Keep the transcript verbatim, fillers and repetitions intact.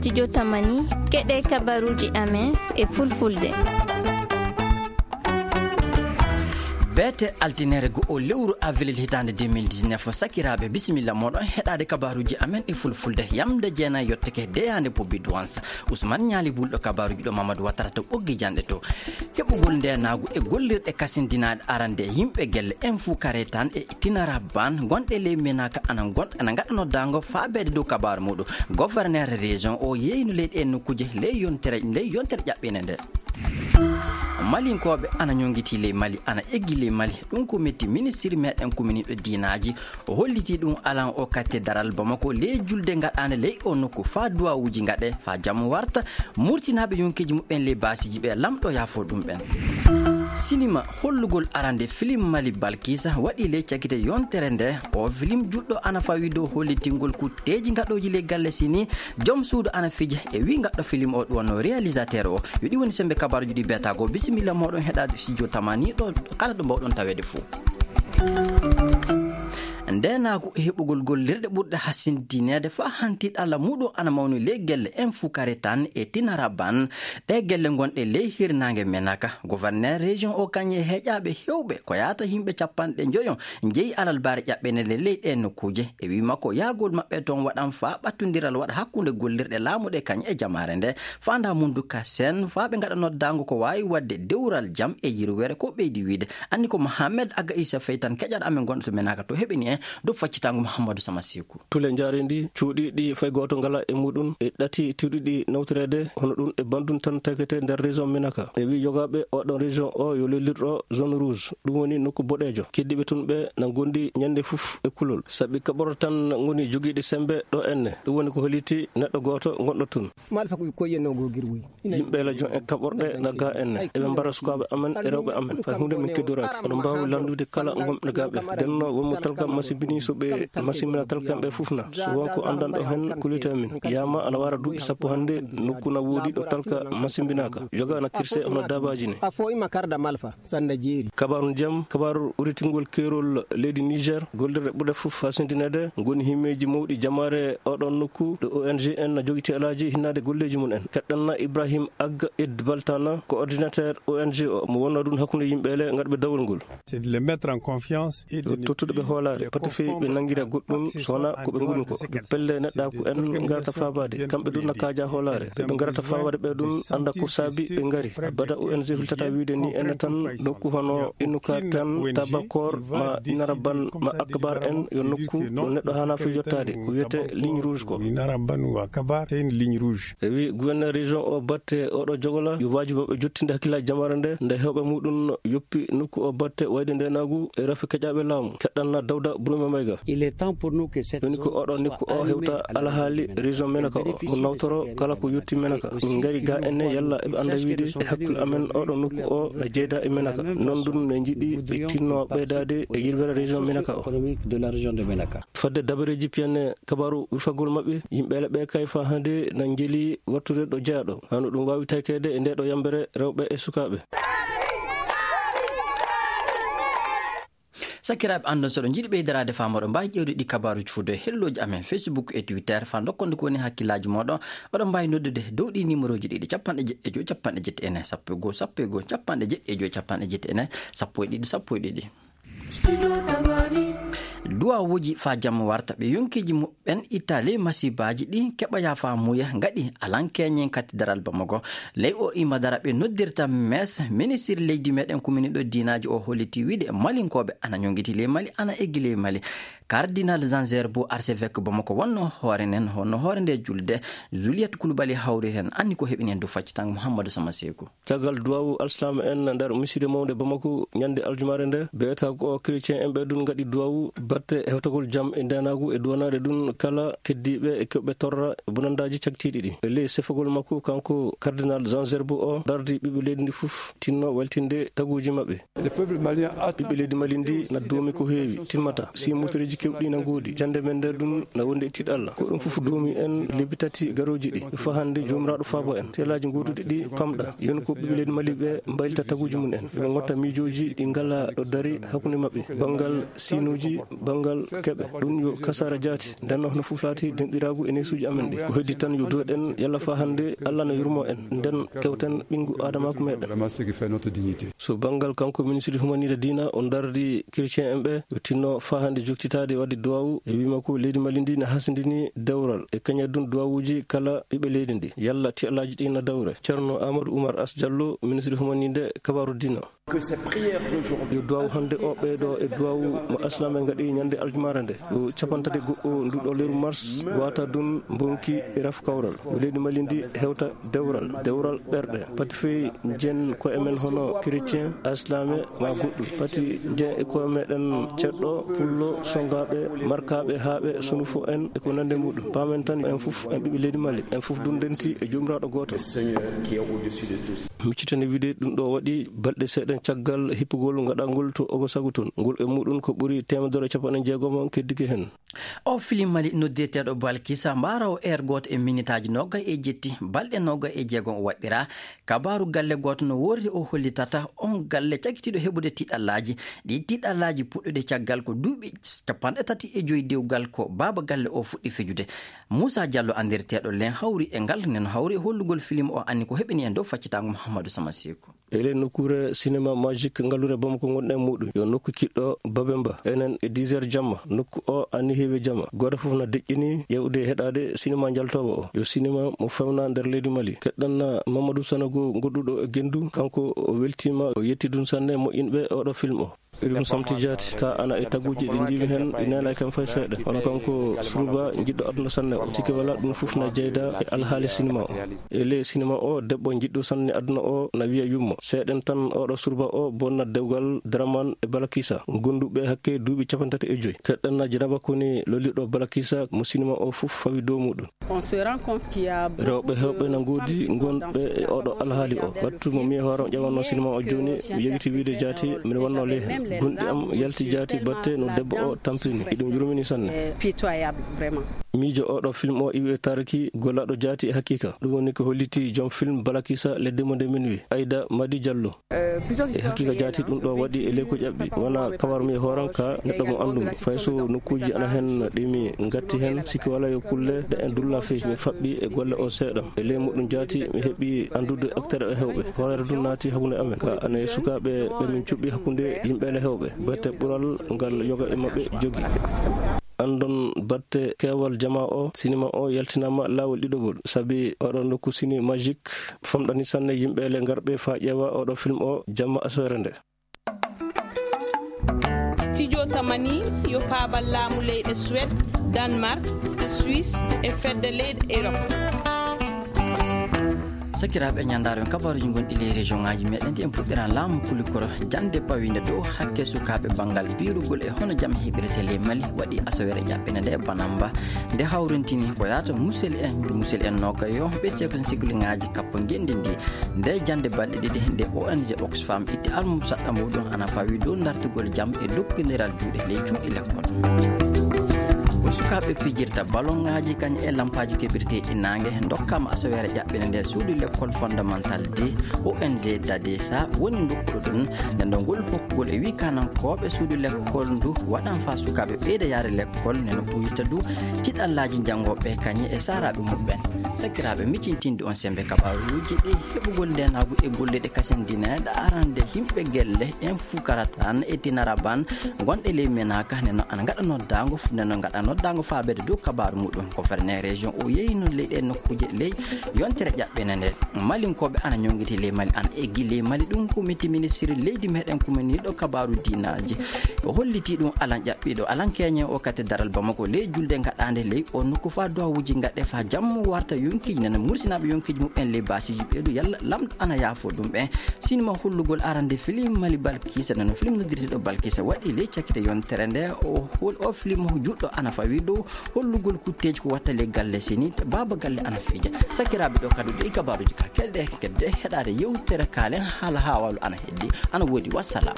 Studio Tamani, keɗe kabaruuji amen e fulfulde. Beete altinere go'o lewru avril hitaande deux mille dix-neuf, sakiraaɓe, bisimilla mooɗon heɗaade kabaruuji amen e fulfulde. Yamde jeenayi yottake deyaande pobbi duwansa. Usman Ñaali Bulɗo kabaruuji ɗo Mamadou Watara to ɓoggi janɗe to. Heɓugol ndeenaagu e gollirɗe kasindinaaɗe arande yimɓe gelle en fuu kare tan e tinara ban gonɗe ley menaka ana gon-, ana ngaɗa noddaango faabeede dow kabaaru muɗum. Gouverneur région o yeeyno leyɗe e nokkuuje ley yontere, ley yontere ƴaɓɓinde nde. Malinkooɓe ana ñongitii ley Mali, ana eggi ley Mali. Ɗum ko metti ministiri meɗen kuminiiɗo diinaaji. O hollitii ɗum alan o kattedaral Bamako ley julde ngaɗaande ley o nokku faa duwawuuji ngaɗe faa jam warta. Murtinaaɓe yonkeeji muɓɓen ley baasiiji ɓe lamɗo yaafo ɗum ɓen. Sinima hollugol arande film Mali Balkisa waɗi ley cakite yontere nde. O film juɗɗo ana fawi dow hollitingol kutteeji ngaɗooji ley galle sini. Joom suudu ana fija e wi ngaɗɗo film o ɗum wonno réalisateur o. Yo ɗi woni sembe kabaruji ɗi beetago. Bisimilla moɗon heɗaade studio Tamani ɗo kala ɗo mbawɗon taweede fuu. Ndeenaagu e heɓugol gollirɗe ɓurɗe hasindineede faa hanti ɗalla muɗum ana mawni ley gelle en fuu kare tan e tinara ban. Ɗe gelle ngonɗe ley hirnaange menaka. Gouverneur région o kañe heƴaaɓe hewɓe ko yaata yimɓe capanɗe njoyon njeyi alalbaare ƴaɓɓene le ley ɗe nokkuuje. E wi makko yahgol maɓɓe toon waɗan faa ɓattondiral waɗa hakkunde gollirɗe laamu ɗe kañe e jamaare nde. Faanda mundu ka sen faa ɓe ngaɗa noddaango ko waawi waɗde dewral jam e yirwere ko ɓeydi wiide. Anni ko Mohamed Aga Issa Feytan keƴaɗo amen gonɗo to menaka to heɓini en dow faccitango Mouhamadou Sama Seku. Tule njaareendi cuuɗiiɗi fay gooto ngalaa e muɗum e ɗati tiiɗuɗi nawtoreede hono ɗum e banndum tan takete nder région Minaka. E wi yogaaɓe oɗon région o yo lellirɗo zone rouge, ɗum woni nokku boɗeejo. Keddiiɓe tun ɓe na ngondi ñande fof e kulol. Sabi kaɓorɗe tan ngoni jogiiɗe sembe ɗo enne. Ɗum woni ko holliti neɗɗo gooto gonɗo tun. Malfa ko koye no go girwoy. Yimɓe la jon en kaɓorɗe na ga en. Eɓe mbara sukaaɓe amen e rewɓe amen. Fay huunde min keddoraaki. Oɗon mbaawi lanndude kala ngonɓe ga ɓe. Denno wonmo talka masimbini so ɓe masimbina talka ɓe fof na. So won ko anndanɗo hen, kullite min. Yaama ana wara duuɓi sappo hannde, nokku na woodi ɗo talka masimbinaaka. Yoga na kirse hono daabaaji ni. A fo ima karda malfa. Sanda jeeri. Kabaaru jam, kabaaru uritingol keerol leydi Niger, gollirɗe ɓurɗe fof fasindineede, ngoni himmeeji mawɗi jamaare oɗon nokku, ɗo O N G en na jogiti alaaji hinnaade golleeji mum en. Keɗɗanna Ibrahim Ag Ed Baltana, coordinateur O N G o, mo wonnoo ɗum hakkunde yimɓe le ngarɓe dawol ngol. C'est de les mettre en confiance et de ne Tottude ɓe plus hoolaare, les pati feewi ɓe confondre nangira goɗɗum, avec so wonaa ko ɓe ngoni ko. Ɓe pelle neɗɗaaku en ngarata faabaade, kamɓe ɗum na kaaja hoolaare. Ɓe ɓe ngarata faabaade ɓe ɗum annda ko saabi ɓe ngari. Abada O N G hultata wiide ni ene tan nokku hono Innuka tan, Tabakor, ma Inaraban, ma Akbar en, yo nokku ɗo neɗɗo hana fi yottaade, ko wiyete ligne rouge ko. Inaraban wa Kabar, c'est une ligne rouge. E wi gouverneur région o batte oɗo jogola, yo wajibi maɓɓe jottinde hakkillaaji jamaare nde, nde hewɓe muɗum yoppi nokku o batte wayde ndenaagu e rafi keƴaaɓe laamu. Keɗɗanna Dawda Burma Mayga. Il est temps pour nous que cette Woni ko zone oɗo soit nokku o arrimée hewta à la alhaali région Menaka o, mo nawtoro kala ko yotti Menaka. Min ngari ga enne yalla eɓe annda wiide e hakkunde amen oɗo nokku o na jeeyda e Menaka. Non ɗum ne njiɗi ɓe tinno ɓeydaade e yirwere région Menaka o. Économique de la région de Menaka. Fadde dabareeji piyane kabaaru urfagol maɓɓe, yimɓe leɓɓe kay faa hannde na njeli wattude ɗo jeyaaɗo. Hano ɗum waawi takeede e nde ɗo yambere rewɓe e sukaaɓe. Sakiraaɓe, anndon so ɗo njiɗi ɓeydaraade faa moɗon mbaawi ƴeewde ɗi kabaaruuji fuu dow hellooji amen Facebook e Twitter faa ndokkonde ko woni hakkillaaji moɗon. Oɗon mbaawi noddude dow ɗi numéroji ɗiɗi, capanɗe jeɗɗi e joy, capanɗe jeɗɗi e nayi, sappo e goo, sappo e goo, capanɗe jeɗɗi e joy, capanɗe jeɗɗi e nayi, sappo e ɗiɗi, sappo e ɗiɗi. Duwawuuji faa jam warta ɓe yonkiiji muɓɓen itta ley masibaaji ɗi keɓa yaafa muuya ngaɗi alankeñen kattidaral Bamako. Ley o ima dara ɓe noddirta mes, ministir leydi meɗen kuminiɗo diinaaji o holliti wiide malinkooɓe ana ñongiti ley Mali, ana eggi ley Mali. Cardinal Jean Gerbo, archevêque Bamako wonno hoore nden, honno hoore nde julde, Juliette Koulibaly hawri hen, anni ko heɓini hen dow faccitango Mouhamadou Sama Seku. Caggal duwawu alsilaama en nder miside mawnde Bamako ñande aljumaare nde, beeta ko chrétien en ɓe ɗum ngaɗi duwawu batte hewtagol jam e ndenaagu e duwanaade ɗum kala keddiiɓe e keɓɓe torra bonandaaji cagtiiɗi ɗi. E ley sefagol makko, kanko Cardinal Jean Gerbo o dardi ɓiɓɓe leydi ndi fof tinno weltinde taguuji maɓɓe. Ɓiɓɓe leydi Mali ndi na doomi ko heewi, timmata. Si muttereeji kewɗi na ngoodi, jannde men nder ɗum na wonde e tiiɗalla. Ko ɗum fof doomi en lebbi tati garooji ɗi. Faa hannde Joomiraaɗo faabo en. Seelaaji gooduɗi ɗi pamɗa. Yon ko ɓiɓɓe leydi Mali ɓe mbaylita taguuji mum en. Ɓe ngotta miijooji ɗi ngalaa ɗo dari hakkunde maɓɓe. Banngal siinuuji, Banngal keɓe, ɗum yo kasaara jaati. Nden no fuflaati denɗiraagu e neesuuji amen ɗi. Ko heddi tan yo duwoɗen Yalla faa hannde Alla no yurmoo en. Nden kewten ɓinngu Aadamaaku meɗen. So banngal kanko ministre humaniiɗo diina, o dardi chrétien en ɓe, yo tinno faa hannde joktitaade waɗde duwaawu e wiima ko leydi Mali ndi ne hasindini dewral. E kañadun duwaawuuji kala ɓiɓɓe leydi ndi. Yalla tiɗallaaji ɗi na dawre. Ceerno Amadou Oumar As Diallo, ministre humaniiɗo kabaaru diina. Yo duwaawu hannde o ɓeydo e duwaawu mo alsilaam'en ngaɗi ñande aljumaare nde. Ko cappanɗe tati goɗɗo ndu ɗo leeru mars, wata dun mbonki e raf kawral. Yo leydi Mali ndi hewta dewral, dewral ɓerɗe. Pati fey njen ko e men hono chrétien, alsilaame ma goɗɗum. Pati njen e ko e meɗen ceɗɗo, pullo, songaaɓe, markaaɓe, haaɓe, sunufo en e ko nande muɗum. Paamen tan en fof en ɓiɓɓe leydi Mali, en fof dun ndenti e Joomiraaɗo gooto. Miccitani wiide ɗum ɗo waɗi balɗe seeɗa caggal hippugol ngaɗangol to Ogosagu toon. Ngol e muɗum ko ɓuri teemedere e capanɗe jeegom keddike heen. O film Mali noddirteeɗo Balkisa, mbaaroowo heure gooto e minitaaji noogay e jetti, balɗe noogay e jeegom o waɗɗira. Kabaaru galle gooto no woordi o hollitata on galle cagitiiɗo heɓude tiɗallaaji. Ɗi tiɗallaaji puɗɗude caggal ko duuɓi capanɗe tati e joy dewgal ko baaba galle o fuɗɗi fijude. Moussa Diallo anndirteeɗo len hawri e ngal, nen hawri e hollugol film o anni ko heɓini en dow faccitaango Mouhamadou Sama Sekou. E ley nokkuure cinéma Magique ngalluure Bamako ngonɗen muɗum, yo nokku kiɗɗo Babemba. Enen e dix heures jamma, nokku o anni heewi jamma. Gooto fof na deƴƴini ƴeewde e heɗaade cinéma njaltoowo o. Yo cinéma mo fewna nder leydi Mali. Keɗɗen na Mamadou Sanogo goɗɗuɗo e Gendu, kanko o weltiima, o yetti ɗum sanne moƴƴinɓe oɗo film o. Irum Samti Jaati, ka ana e taguuji ɗi njiimi heen, ɗi neelay kam fay seeɗa. Hono kanko Suruba, jiɗɗo aduna sanne o. Sikki wala ɗum fof na jeyda e alhaali sinima o. E ley sinima o, debbo jiɗɗo sanne aduna o na wiya yumma. Seeɗen tan oɗo Suruba o bonna dewgal Draman e Balakisa, gonduɓe hakke duuɓi capanɗe tati e joy. Keɗɗen na Janaba Koni lolliɗo Balakisa mo sinima o fof fawi dow muɗum. On se rend compte qu'il y a beaucoup de femmes qui sont dans ce genre de film. Rewɓe heewɓe na ngoodi ngonɓe e oɗo alhaali o. Wattu mo mi e hoore am ƴewanno sinima o jooni, mi yegiti wiide jaati, miɗo wonno ley heen. Gonɗi am yalti jaati batte no debbo o tampini. Iɗum yurmini sanne. Pitoyable, vraiment. Miijo oɗo film o iwi e Tarki, gollaɗo jaati e haqiqa. Ɗum woni ko holliti joom film Balakisa le Demande de Minuit, Aïda Madi Diallo. E haqiqa jaati ɗum ɗo waɗi e ley ko ƴaɓɓi. Wona kabar mi e hooram ka neɗɗo mo anndumi. Fay so nokkuuji ana heen ɗi mi ngatti heen, sikki wala yo kulle ɗe en dulla fey. Mi faɓɓi e golle o seeɗa. E ley muɗum jaati mi heɓi anndude acteur e heewɓe. Horeere ɗum naati hakkunde amen. Ka ana e sukaaɓe ɓe min cuɓɓi hakkunde yimɓe le heewɓe. Batte ɓural ngal yoga e maɓɓe jogi. Anndon batte keewal jama o, sinima o yaltinaama laawol ɗiɗogol. Sabi oɗo nokku Ciné Magique famɗani sanne yimɓe le ngarɓe faa ƴeewa oɗo film o jamma asoore nde. Studio Tamani yo paabal laamu leyɗe Suède, Danemark, Suisse e fedde leyɗe Europe. Sakiraaɓe, ñandaaro en kabaaruuji gonɗi ley région ŋaaji meɗen ɗi, en puɗɗiran laamu kulikoro jannde pawiinde dow hakke sukaaɓe banngal biirugol e hono jam heɓirete ley Mali waɗi asaweere ƴaɓɓinde nde banamba nde hawrintini ko yaata musel en, musel en nogayo ɓe seko sikliŋaaji kappo ngenndi ndi. Nde jannde balɗe ɗiɗi nde O N G Oxfam itti almusaɗɗa muɗum ana fawi dow dartugol jam e dokkindiral juuɗe ley cuuɗi lekkol. Ko sukaaɓe pijirta baloŋaaji kañum e lampaaji keɓirteeɗi naange ndokkaama asaweere ƴaɓɓinde nde suudu lekkol fondamental de O N G Dadesa woni ndokkuɗo ɗum. Nden ɗo ngol hokkugol e wii kanankooɓe suudu lekkol ndu waɗan faa sukaaɓe ɓeyda yaade lekkol, nde no ɓuyta du tiɗallaaji janngooɓe kañum e saaraaɓe muɓɓen. Sakiraaɓe, miccintinde on semmbe kabaaruuji ɗi heɓugol ndeenaagu e golleeɗe kasindineeɗe arande yimɓe gelle en fukara tan e tinara ban gonɗe ley menaaka ne no ana ngaɗa noddaango fu-, ne no ngaɗa noddaango faabeede dow kabaaru muɗum. Ko ferne région o yeeyino ley ɗe nokkuuje ley yontere ƴaɓɓene nde. Malinkooɓe ana ñonngiti ley Mali, ana eggi ley Mali. Ɗum ko miti ministiri leydi meɗen kuminiiɗo kabaaru diinaaji. O holliti ɗum alan ƴaɓɓiiɗo, alan keñe o kate daral Bamako ley julde ngaɗaande ley o nokku faa duwawuuji ngaɗe faa jammu warta yonkiiji nana mursinaaɓe yonkiiji muɓɓen ley baasiiji ɓeydu yalla lamɗo ana yaafo ɗum ɓe. Sinima hollugol arande film Mali Balkisa, nano film noddirteeɗo Balkisa waɗi ley cakkite yontere nde o hol-, o film juɗɗo ana fawi dow hollugol kutteeji ko watta ley galle seni, baaba galle ana fija. Sakiraaɓe, ɗo kadi ɗo e kabaaruuji ka kelɗe kedde heɗaade yewtere kaalen haala haawaalu ana heddi, ana woodi. Wassalam.